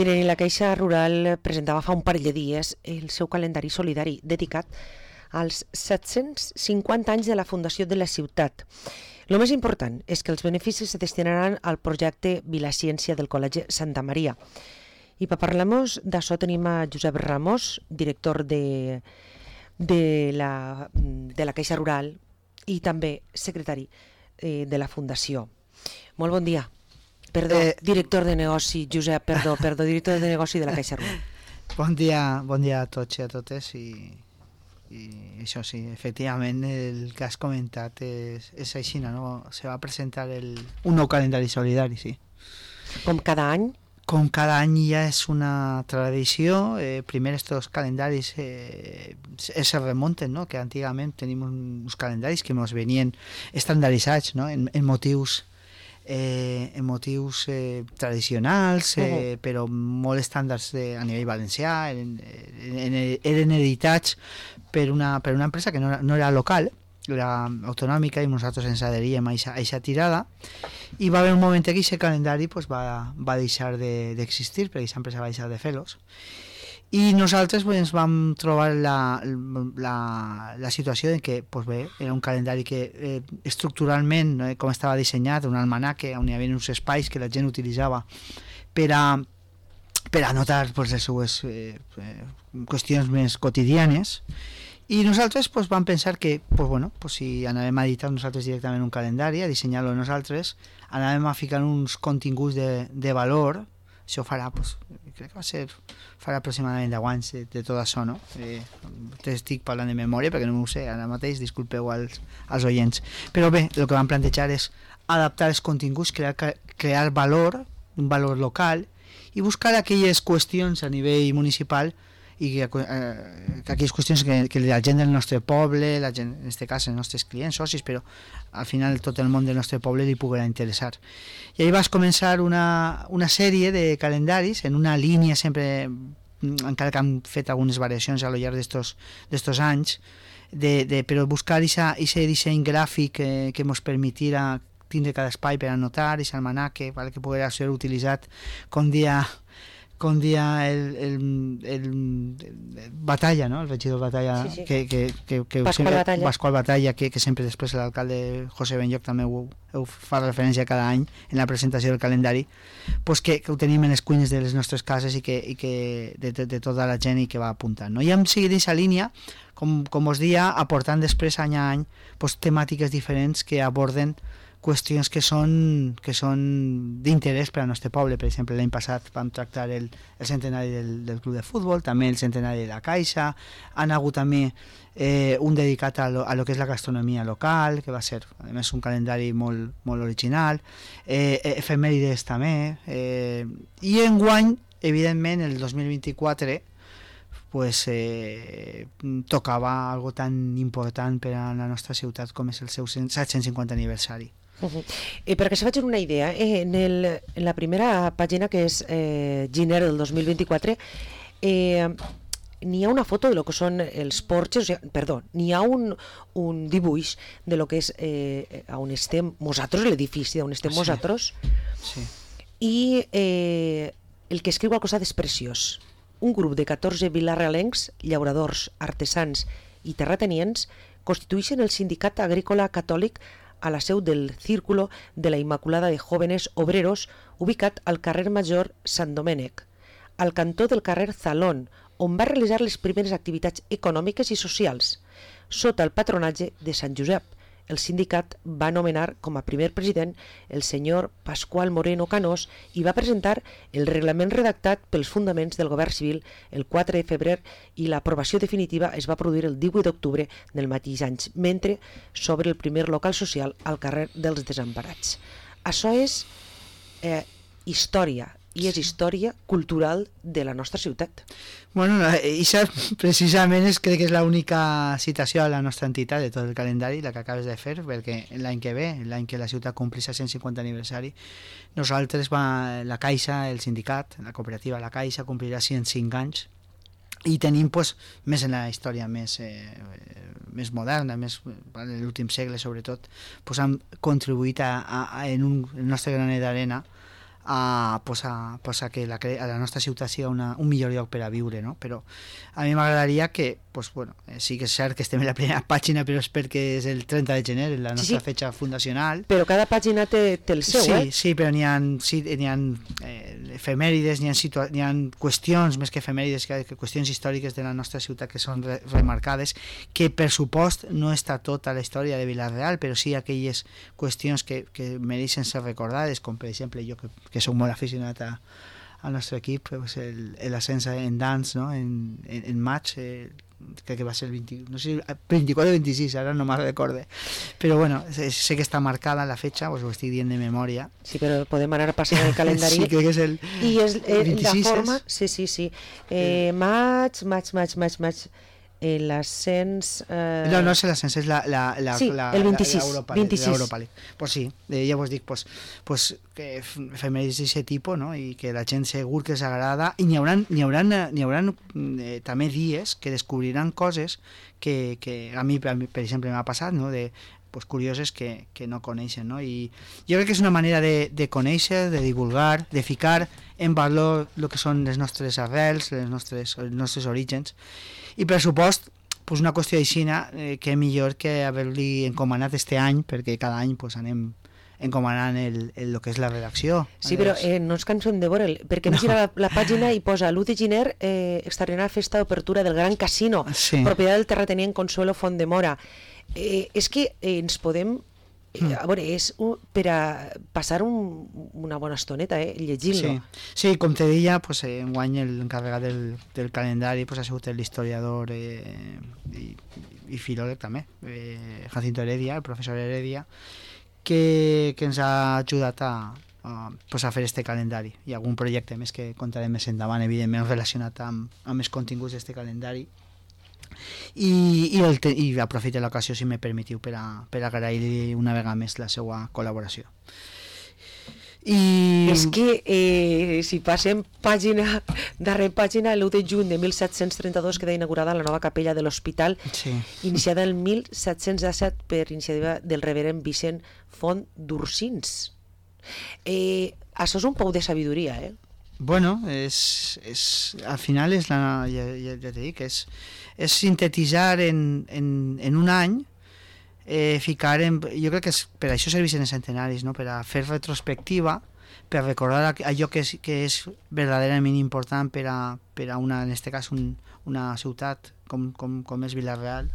Miren, i la Caixa Rural presentava fa un parell de dies el seu calendari solidari dedicat als 750 anys de la fundació de la ciutat. El més important és que els beneficis se destinaran al projecte Vilaciència del Col·legi Santa Maria. I per parlar-nos d'això tenim a Josep Ramos, director de la Caixa Rural i també secretari de la Fundació. Molt bon dia. Perdó, director de negoci, Josep, perdó, director de negoci de la Caixa Rural. Bon dia a tots i a totes i això sí, efectivament el que has comentat és així, no? Se va presentar un nou calendari solidari, sí. Com cada any? Com cada any ja és una tradició. Primer estos calendaris se remunten, no? Que antigament tenim uns calendaris que ens venien estandaritzats, no? en motius tradicionals, però molt estàndards a nivell valencià. Eren editats per una empresa que no era local, era autonòmica, i nosaltres ens adheríem a aquesta tirada, i va haver un moment que aquest calendari va deixar d'existir, perquè aquesta empresa va deixar de fer-los, i nosaltres ens vam trobar la situació en què era un calendari que estructuralment, com estava dissenyat, un almanaque on hi havia uns espais que la gent utilitzava per anotar les seues qüestions més quotidianes, i nosaltres vam pensar que si anàvem a editar nosaltres directament un calendari, a dissenyar-lo nosaltres, anàvem a ficar uns continguts de valor. Això farà, crec que farà aproximadament 10 anys de tot això, no? Estic parlant de memòria perquè no m'ho sé ara mateix, disculpeu als oients. Però bé, el que vam plantejar és adaptar els continguts, crear valor, un valor local, i buscar aquelles qüestions a nivell municipal i aquelles qüestions que la gent del nostre poble, la gent, en aquest cas els nostres clients, socis, però al final tot el món del nostre poble li poguerà interessar. I ahir vas començar una sèrie de calendaris en una línia sempre, encara que han fet algunes variacions a lo llarg d'estos anys, però buscar aquest disseny gràfic que ens permetirà tindre cada espai per anotar, aquest almanaque, que poguerà ser utilitzat com dia el Batalla, no? El regidor Batalla, sí. Pasqual Batalla, que sempre després l'alcalde José Benlloc també ho fa referència cada any en la presentació del calendari, que ho tenim en les cuines de les nostres cases i que de tota la gent i que va apuntant, no? I hem seguit aquesta línia, com us dia, aportant després any a any temàtiques diferents que aborden qüestions que són d'interès per al nostre poble. Per exemple, l'any passat vam tractar el centenari del club de futbol, també el centenari de la Caixa, han hagut també un dedicat a lo que és la gastronomia local, que va ser a més un calendari molt, molt original, efemèrides també, i enguany, evidentment, el 2024 tocava algo tan important per a la nostra ciutat com és el seu 750 aniversari. Perquè se facin una idea, en la primera pàgina, que és gener del 2024, n'hi ha una foto de lo que són els porxes, n'hi ha un dibuix de lo que és on estem nosaltres, l'edifici on estem nosaltres, i el que escriu al costat és preciós. Un grup de 14 vilarealencs, llauradors, artesans i terratenients constitueixen el Sindicat Agrícola Catòlic a la seu del Círculo de la Immaculada de Jóvenes Obreros, ubicat al carrer Major Sant Domènec, al cantó del carrer Zalón, on va realitzar les primeres activitats econòmiques i socials. Sota el patronatge de Sant Josep, el sindicat va nomenar com a primer president el senyor Pasqual Moreno Canós i va presentar el reglament redactat pels fundaments del govern civil el 4 de febrer, i l'aprovació definitiva es va produir el 18 d'octubre del mateix any, mentre s'obre el primer local social al carrer dels Desemparats. Això és història, i és història cultural de la nostra ciutat. Bueno, això precisament crec que és l'única citació a la nostra entitat de tot el calendari, la que acabes de fer, perquè l'any que ve, l'any que la ciutat complís el 150 aniversari, nosaltres, la Caixa, el sindicat, la cooperativa La Caixa, complirà 105 anys, i tenim més en la història més moderna, més en l'últim segle sobretot, hem contribuït en el nostre granet d'arena a que a la nostra ciutat sigui un millor lloc per a viure, no? Però a mi m'agradaria que, sí que és cert que estem en la primera pàgina, però és perquè és el 30 de gener, la nostra fetge fundacional. Però cada pàgina té el seu, Sí, però n'hi ha efemèrides, n'hi ha qüestions, més que efemèrides, que qüestions històriques de la nostra ciutat que són remarcades, que per supost no està tota la història de Vila-real, però sí aquelles qüestions que mereixen ser recordades, com per exemple jo que soc molt aficionat al nostre equip, pues l'ascens en dans, no? en maig, crec que va ser el 24 o 26, ara no me'n recorde, però bueno, sé que està marcada la fetxa, pues ho estic dient de memòria. Sí, però podem anar passant el calendari. Sí, crec que és el 26. La forma, sí. Maig, l'ascens... No és l'ascens, és el 26. L'Europa League. Pues sí, ja vos dic, que efemèrides d'aquest tipus, no? I que la gent segur que els agrada, i n'hi haurà també dies que descobriran coses que a mi, per exemple, m'ha passat, no? Curioses que no coneixen, no? I jo crec que és una manera de conèixer, de divulgar, de ficar en valor el que són les nostres arrels, els nostres orígens, i per supost una qüestió d'aixina que millor que haver-li encomanat este any, perquè cada any anem encomanant el que és la redacció. Sí, però no ens cansem de veure'l, perquè hem girat la pàgina i posa l'1 de gener extraordinària festa d'obertura del Gran Casino, propietat del terratenent Consuelo Fontdemora. És que ens podem... A veure, és per a passar una bona estoneta, llegint-lo. Sí, com te deia, enguany l'encarregat del calendari ha sigut l'historiador i filòleg també, Jacinto Heredia, el professor Heredia, que ens ha ajudat a fer este calendari. Hi ha algun projecte més que contarem més endavant, evidentment relacionat amb els continguts d'este calendari, i aprofito l'ocasió, si me permetiu, per agrair-li una vegada més la seva col·laboració. És que si passem darrere pàgina, l'1 de juny de 1732 queda inaugurada la nova capella de l'hospital, iniciada el 1717 per iniciativa del reverend Vicent Font d'Ursins. Això és un pou de sabidoria, Bueno, al final ja te dic, és sintetitzar en un any, ficar jo crec que per això serveixen els centenaris, no? Per a fer retrospectiva, per recordar allò que és verdaderament important per a una, en aquest cas, una ciutat com és Vila-real,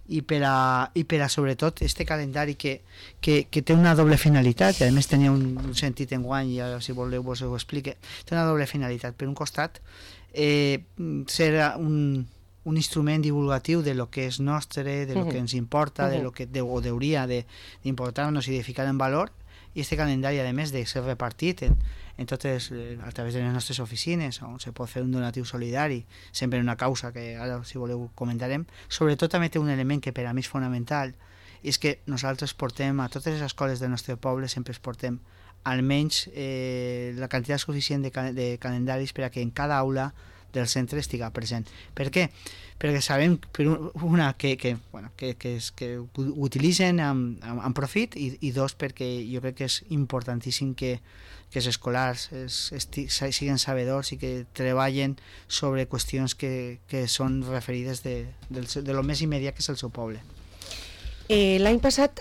i per a sobretot este calendari que té una doble finalitat, i a més tenia un sentit enguany, i ara si voleu vos ho explique. Té una doble finalitat. Per un costat, ser un instrument divulgatiu de lo que és nostre, de lo que ens importa, de lo que hauria d'importar-nos i de ficar en valor, i este calendari, a més de ser repartit en totes, a través de les nostres oficines, on se pot fer un donatiu solidari, sempre en una causa que ara, si voleu, comentarem. Sobretot també té un element que per a mi és fonamental, i és que nosaltres portem a totes les escoles del nostre poble, sempre es portem almenys la quantitat suficient de calendaris per a que en cada aula del centre estiga present. Per què? Perquè sabem, per una, que utilitzen amb profit, i dos, perquè jo crec que és importantíssim que els escolars siguin sabedors i que treballen sobre qüestions que són referides de lo més immediat que és el seu poble. L'any passat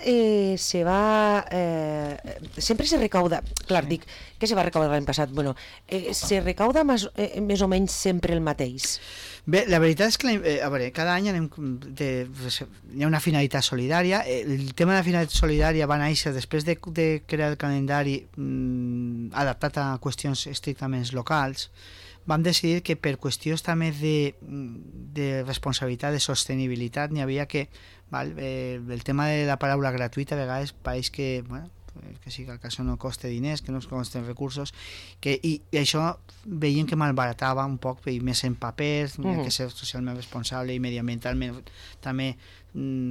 sempre se recauda, clar, dic, què se va recaudar l'any passat? Bueno, se recauda més o menys sempre el mateix? Bé, la veritat és que cada any hi ha una finalitat solidària. El tema de la finalitat solidària va néixer després de crear el calendari adaptat a qüestions estrictament locals. Vam decidir que per qüestions també de responsabilitat, de sostenibilitat, n'hi havia que el tema de la paraula gratuïta a vegades pareix que sí, que això no costa diners, que no costen recursos, i això veiem que malbaratava un poc, més en paper, que ser socialment responsable i mediambientalment també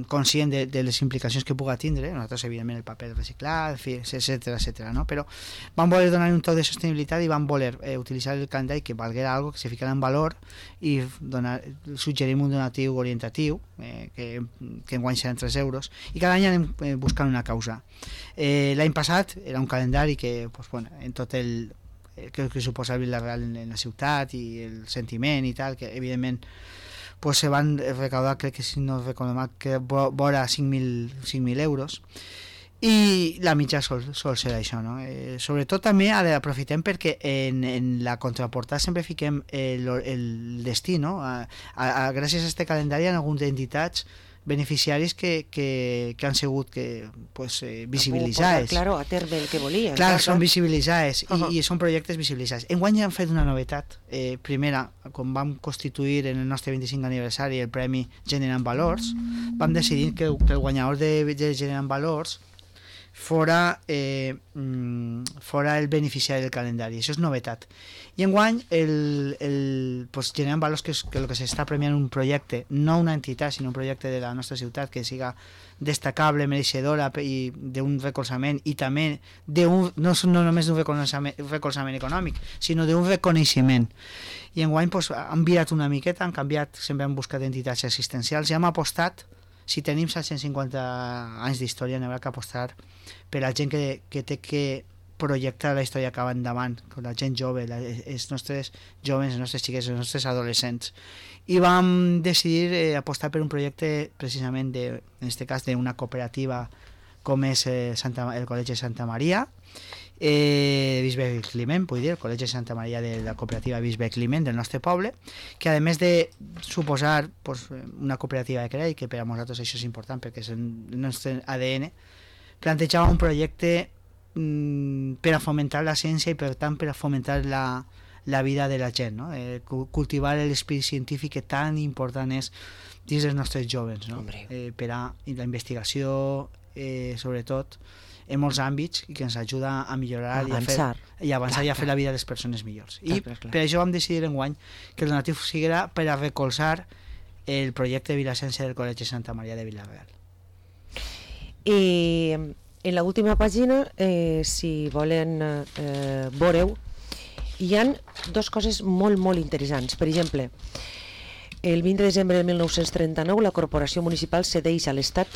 conscient de les implicacions que puga tindre. Nosaltres, evidentment, el paper reciclat, etcètera, no? Però vam voler donar un toc de sostenibilitat i vam voler utilitzar el calendari que valguera algo, que se ficara en valor, i suggerim un donatiu orientatiu, que enguany seran 3 euros, i cada any anem buscant una causa. L'any passat era un calendari que en tot que suposa el Vila-real en la ciutat i el sentiment i tal, que evidentment pues se van recaudar, crec que si no recordo mal, que vora 5.000 euros, i la mitja sol ser això, no? Sobretot també aprofitem perquè en la contraportada sempre fiquem el destí, no? Gràcies a este calendari hi ha algunes entitats beneficiaris que han sigut pues, visibilitzades. Claro, a terme el que volia. Clar, són visibilitzades i són projectes visibilitzats. Enguany han fet una novetat. Primera, quan vam constituir en el nostre 25 aniversari el Premi Generant Valors, vam decidir que el guanyador de Generant Valors fora el beneficiari del calendari. Això és novetat. I enguany pues, Generant Valors, que el que s'està premiant un projecte, no una entitat, sinó un projecte de la nostra ciutat que siga destacable, mereixedora i d'un recolzament, i també no només d'un recolzament econòmic, sinó d'un reconeixement. I enguany pues, han virat una miqueta, han canviat, sempre han buscat entitats assistencials i hem apostat, si tenim 750 anys d'història, n'haurà que apostar per la gent que té que projectar la història cap endavant, la gent jove, els nostres joves, els nostres xiquets, els nostres adolescents. I vam decidir apostar per un projecte precisament, en aquest cas, d'una cooperativa com és el Col·legi Santa Maria, Bisbe Climent, vull dir, el Col·legi Santa Maria de la cooperativa Bisbe Climent del nostre poble, que a més de suposar pues, una cooperativa de crèdit, que per a nosaltres això és important perquè és el nostre ADN, plantejava un projecte per a fomentar la ciència i per tant per a fomentar la vida de la gent, no? Cultivar l'esperit científic que tan important és dins dels nostres joves, no? Per a la investigació, sobretot en molts àmbits, i que ens ajuda a millorar i a avançar i a fer la vida de les persones millors. I per això vam decidir enguany que el donatiu siguera per a recolzar el projecte de Vilassència del Col·legi Santa Maria de Vila-real. En la última pàgina, si volen veureu, hi ha dues coses molt, molt interessants. Per exemple, el 20 de desembre de 1939 la Corporació Municipal cedeix a l'Estat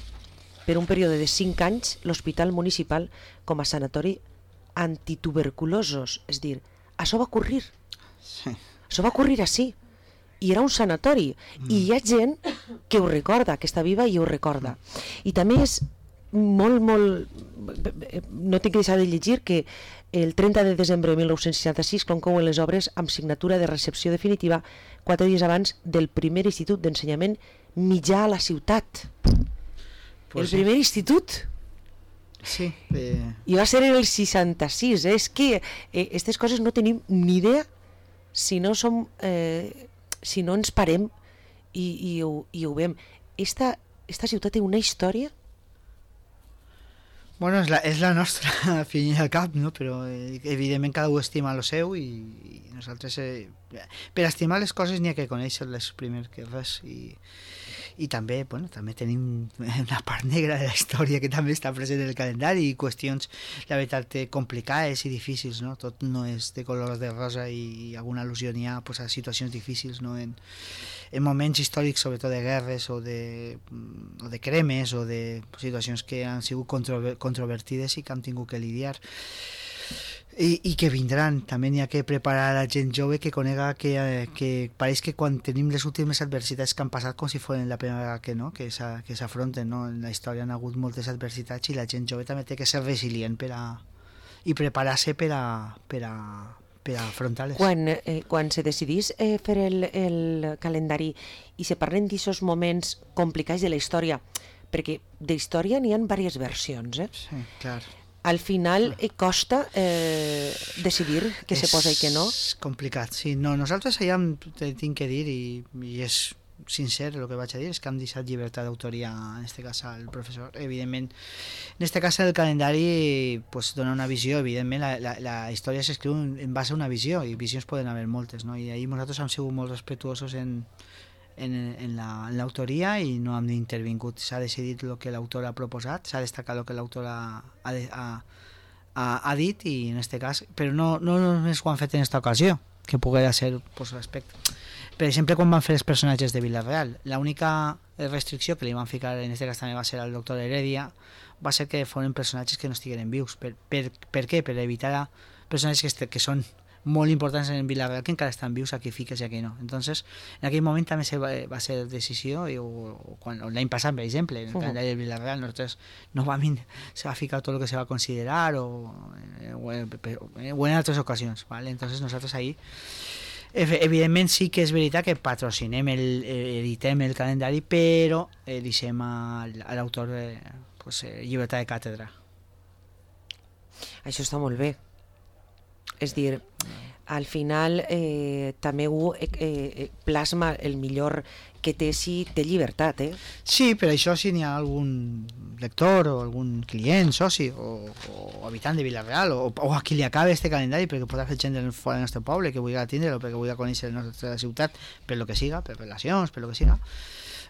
per un període de 5 anys l'Hospital Municipal com a sanatori antituberculosos. És a dir, això va ocórrer. Sí. Això va ocórrer així. I era un sanatori. I hi ha gent que ho recorda, que està viva i ho recorda. I també és molt, no tinc que deixar de llegir que el 30 de desembre de 1966 conclouen les obres amb signatura de recepció definitiva 4 dies abans del primer institut d'ensenyament mitjà a la ciutat. Pues el primer institut. Sí. I va ser en el 66. És que aquestes coses no tenim ni idea si no ens parem i ho veiem. Esta ciutat té una història. Bueno, és la nostra, al fin i al cap, no? Però evidentment cada un estima el seu i nosaltres per estimar les coses n'hi ha que conèixer-les primer que res i també, bueno, també tenim una part negra de la història que també està present en el calendari i qüestions, la veritat, complicades i difícils, no? Tot no és de color de rosa i alguna al·lusió n'hi ha pues, a situacions difícils, no? En moments històrics, sobretot de guerres o de cremes o de situacions que han sigut controvertides i que han tingut que lidiar. I que vindran, també n'hi ha que preparar a la gent jove que conega que pareix que quan tenim les últimes adversitats que han passat com si fossin la primera vegada que s'afronten, no? En la història han hagut moltes adversitats i la gent jove també té que ser resilient i preparar-se per a afrontar-les. Quan se decidís fer el calendari i se parlen d'aquests moments complicats de la història, perquè d'història n'hi ha diverses versions, Sí, clar. Al final costa decidir què se posa i què no? És complicat, sí. No, nosaltres allà tinc que dir, i és sincer el que vaig a dir, és que hem deixat llibertat d'autoria, en aquest cas al professor. Evidentment, en aquest cas el calendari pues, dona una visió, evidentment la història s'escriu en base a una visió, i visions poden haver moltes, no? I ahir nosaltres hem sigut molt respetuosos en l'autoria i no hem intervingut. S'ha decidit el que l'autor ha proposat, s'ha destacat el que l'autor ha dit, i en aquest cas, però no només ho han fet en aquesta ocasió, que poguera ser pues, respecte. Per exemple, quan van fer els personatges de Vila-real, l'única restricció que li van ficar, en aquest cas també va ser al doctor Heredia, va ser que foren personatges que no estigueren vius. Per què? Per evitar personatges que són molt importants en Vila-real que encara estan vius, aquí fiques i aquí no. Entonces, en aquell moment també va ser decisió, l'any passat, per exemple, en el calendari de Vila-real, nosaltres se va ficar tot el que se va considerar o en altres ocasions, ¿vale? Entonces nosaltres ahí evidentment sí que és veritat que patrocinem, editem el calendari, però deixem a l'autor llibertat de càtedra. Això està molt bé. És dir, al final també ho plasma el millor que té si té llibertat, Sí, però això si n'hi ha algun lector o algun client, soci o habitant de Vila-real o a qui li acabe este calendari, perquè podrà fer gent fora del nostre poble que vulgui atendre-lo, perquè vulgui conèixer la nostra ciutat per lo que siga, per relacions, per lo que siga,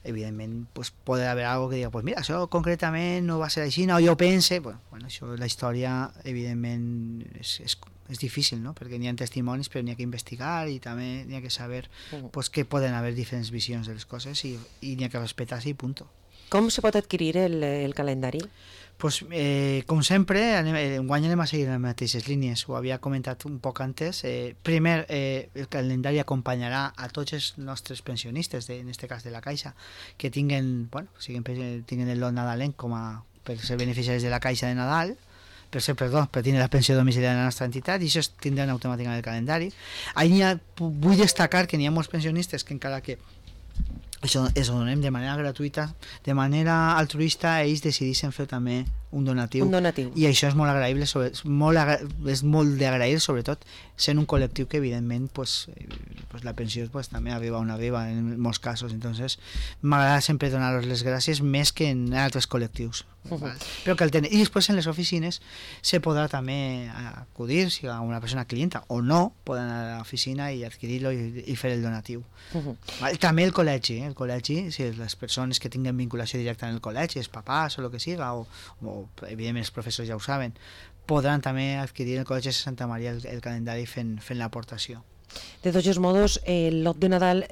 evidentment pues, pot haver algo que diga pues mira, això concretament no va ser així, no, jo pense, bueno, això, la història evidentment és difícil, no? Perquè n'hi ha testimonis, però n'hi ha que investigar i també n'hi ha que saber pues, que poden haver diferents visions de les coses i n'hi ha que respectar-se i punt. Com se pot adquirir el calendari? Pues, com sempre, enguany anem a seguir les mateixes línies, ho havia comentat un poc antes. Primer, el calendari acompanyarà a tots els nostres pensionistes, en aquest cas de la Caixa, que tinguen el lot nadalenc per ser beneficiaris de la Caixa de Nadal, per tindre la pensió domiciliària de la nostra entitat, i això tindran automàticament el calendari. Vull destacar que n'hi ha molts pensionistes que encara que això ho donem de manera gratuïta, de manera altruista, ells decideixen fer també un donatiu. I això és molt agraïble, és molt d'agrair, sobretot sent un col·lectiu que evidentment la pensió també arriba on arriba en molts casos. Entonces m'agrada sempre donar-los les gràcies més que en altres col·lectius. Però que el tenen. I després en les oficines se podrà també acudir, si a una persona clienta o no, poden anar a l'oficina i adquirir-lo i fer el donatiu. També el col·legi, si les persones que tinguen vinculació directa en el col·legi, els papàs o el que siga, o evidentment els professors ja ho saben, podran també adquirir el Col·legi de Santa Maria el calendari fent l'aportació. De tots els modos, el lot de Nadal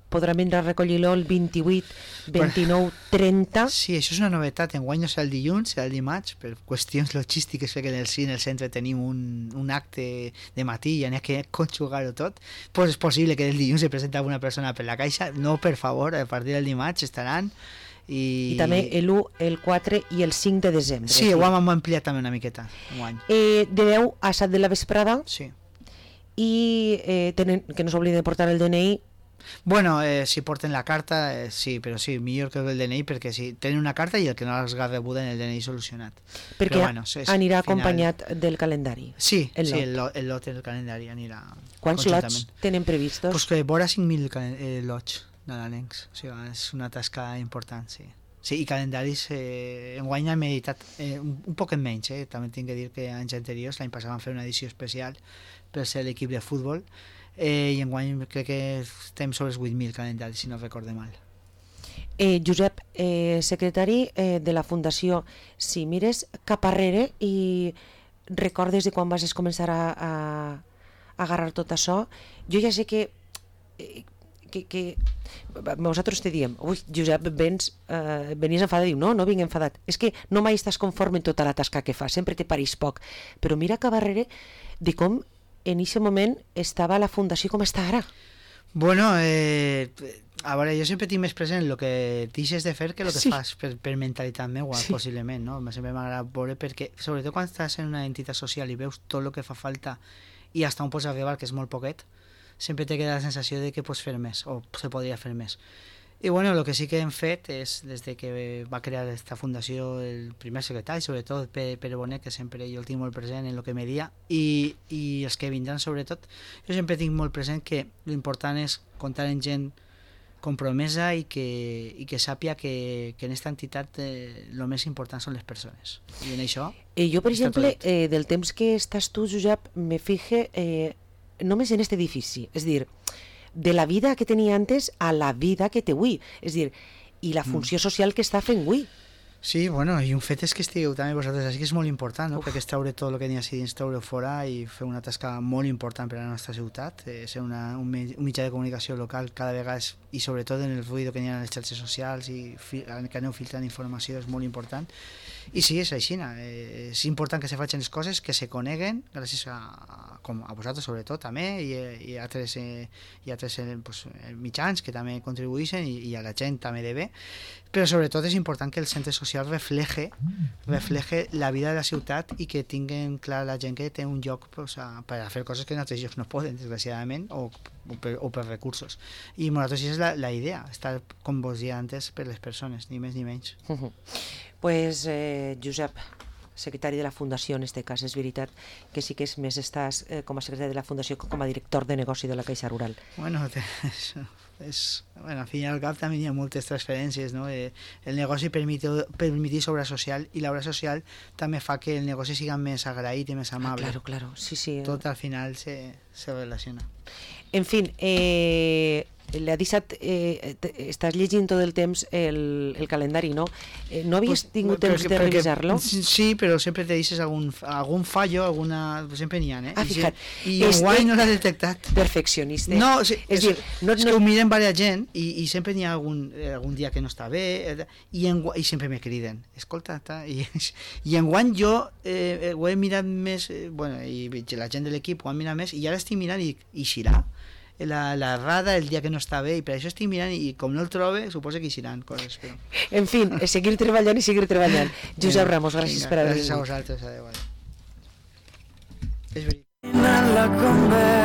podrà vindre a recollir-lo el 28, 29, 30... Sí, això és una novetat. Enguany no serà el dilluns, serà el dimarts, per qüestions logístiques, perquè en el centre tenim un acte de matí i n'hi ha que conjugar-ho tot. Pues és possible que el dilluns se presenti alguna persona per la Caixa. No, per favor, a partir del dimarts estaran... I també l'1, el 4 i el 5 de desembre. Sí, ho hem ampliat també una miqueta. De 10 a 7 de la vesprada. Sí. I que no s'obliden de portar el DNI. Bueno, si porten la carta, sí, però sí, millor que el DNI, perquè si tenen una carta i el que no els ha rebut en el DNI solucionat. Perquè anirà acompanyat del calendari. Sí, el lot del calendari anirà. Quants lots tenen previstos? Pues que vora 5.000 lots nadalencs, o sigui, és una tasca important, sí. Sí, i calendaris enguany hem editat un poc menys, també tinc que dir que anys anteriors, l'any passat vam fer una edició especial per ser l'equip de futbol, i enguany crec que estem sobre els 8.000 calendaris, si no recorde mal. Josep, secretari de la Fundació, si mires cap arrere i recordes de quan vas començar a agarrar tot això, jo ja sé que nosaltres te diem, ui, Josep, venies enfadat, diu, no vinc enfadat, és que no mai estàs conforme en tota la tasca que fas, sempre te pareix poc, però mira cap darrere de com en aquest moment estava la Fundació com està ara. Bueno, a veure, jo sempre tinc més present el que deixes de fer que el que fas, per mentalitat meua, possiblement, no? Sempre m'agrada veure, perquè sobretot quan estàs en una entitat social i veus tot el que fa falta i fins on pots arribar, que és molt poquet, sempre te queda la sensació de que pots fer més o se podria fer més. I bueno, el que sí que hem fet és, des de que va crear aquesta fundació el primer secretari, sobretot Pere Bonet, que sempre jo el tinc molt present en el que me dia, i els que vindran sobretot, jo sempre tinc molt present que l'important és comptar amb gent compromesa i que sàpia que en aquesta entitat el més important són les persones. I en això... Jo, per exemple, del temps que estàs tu, Josep, me fije... només en aquest edifici, és dir, de la vida que tenia antes a la vida que té avui, és dir, i la funció social que està fent avui. Sí, bueno, i un fet és que estigueu també vosaltres així, que és molt important, no? Perquè és treure tot el que n'hi ha dins, treure fora i fer una tasca molt important per a la nostra ciutat, ser un mitjà de comunicació local cada vegada, i sobretot en el ruïdo que n'hi ha a les xarxes socials i que aneu filtrant informació, és molt important. I sí, és així, és important que se facin les coses, que se coneguen gràcies a com a vosaltres sobretot també, i altres pues, mitjans que també contribueixen, i a la gent també de bé, però sobretot és important que el centre social refleje la vida de la ciutat i que tinguin clar la gent que té un lloc pues, per a fer coses que en altres llocs no poden, desgraciadament, o per recursos. I nosaltres és la idea, estar, com vos deia antes, per les persones, ni més ni menys. Pues, Josep, secretari de la Fundació, en este cas, és veritat que sí que és més estàs com a secretari de la Fundació que com a director de negoci de la Caixa Rural. Bueno, al fin i al cap també hi ha moltes transferències, no? El negoci permetís obra social, i l'obra social també fa que el negoci siga més agraït i més amable. Claro, sí. Tot al final se relaciona. En fin, l'ha deixat, estàs llegint tot el temps el calendari, no? No havies tingut temps de revisar-lo? Sí, però sempre te deixes algun fallo, sempre n'hi ha, eh? Fija't. I enguany no l'ha detectat. Perfeccionista. No, és que ho miren diversa gent i sempre n'hi ha algun dia que no està bé, i sempre me criden. Escolta, i enguany jo ho he mirat més, i la gent de l'equip ho han mirat més, i ara estic mirant i xirà la rada el dia que no està bé, i per això estic mirant, i com no el trobe, suposo que hi seran coses. Però... En fi, seguir treballant i seguir treballant. Josep Ramos, gràcies per haver vingut. Gràcies a vosaltres, adéu. És veritat.